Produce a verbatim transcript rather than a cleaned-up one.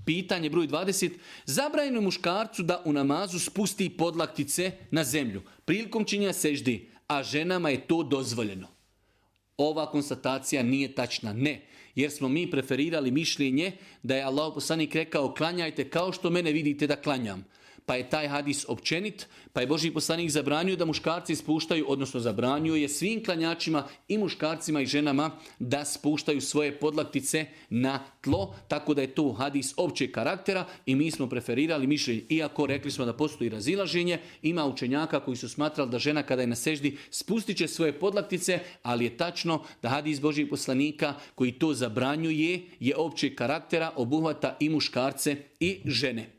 Pitanje broj dvadeset. Zabranjeno muškarcu da u namazu spusti podlaktice na zemlju prilikom činjenja seždi, a ženama je to dozvoljeno. Ova konstatacija nije tačna. Ne, jer smo mi preferirali mišljenje da je Allah poslanik rekao klanjajte kao što mene vidite da klanjam. Pa je taj hadis općenit, pa je Božji poslanik zabranio da muškarci spuštaju, odnosno zabranio je svim klanjačima i muškarcima i ženama da spuštaju svoje podlaktice na tlo, tako da je to hadis općeg karaktera i mi smo preferirali mišljenje. Iako rekli smo da postoji razilaženje, ima učenjaka koji su smatrali da žena kada je na seždi spustit će svoje podlaktice, ali je tačno da hadis Božjih poslanika koji to zabranjuje je općeg karaktera, obuhvata i muškarce i žene.